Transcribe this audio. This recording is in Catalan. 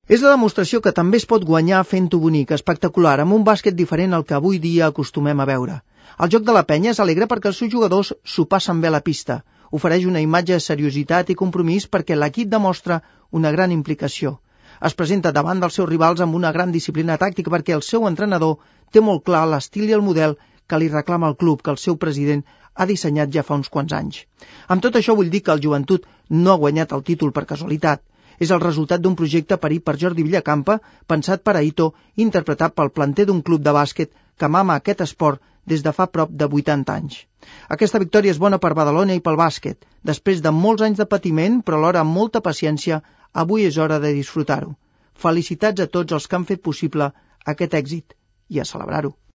És la demostració que també es pot guanyar fent-ho bonic, espectacular, amb un bàsquet diferent al que avui dia acostumem a veure. El joc de la penya és alegre perquè els seus jugadors s'ho passen bé a la pista. Ofereix una imatge de seriositat i compromís perquè l'equip demostra una gran implicació. Es presenta davant dels seus rivals amb una gran disciplina tàctica perquè el seu entrenador té molt clar l'estil i el model que li reclama el club, que el seu president ha dissenyat ja fa uns quants anys. Amb tot això vull dir que el Joventut no ha guanyat el títol per casualitat. És el resultat d'un projecte parit per Jordi Villacampa, pensat per Aito, interpretat pel planter d'un club de bàsquet que mama aquest esport des de fa prop de 80 anys. Aquesta victòria és bona per Badalona i pel bàsquet. Després de molts anys de patiment, però alhora amb molta paciència, avui és hora de disfrutar-ho. Felicitats a tots els que han fet possible aquest èxit i a celebrar-ho.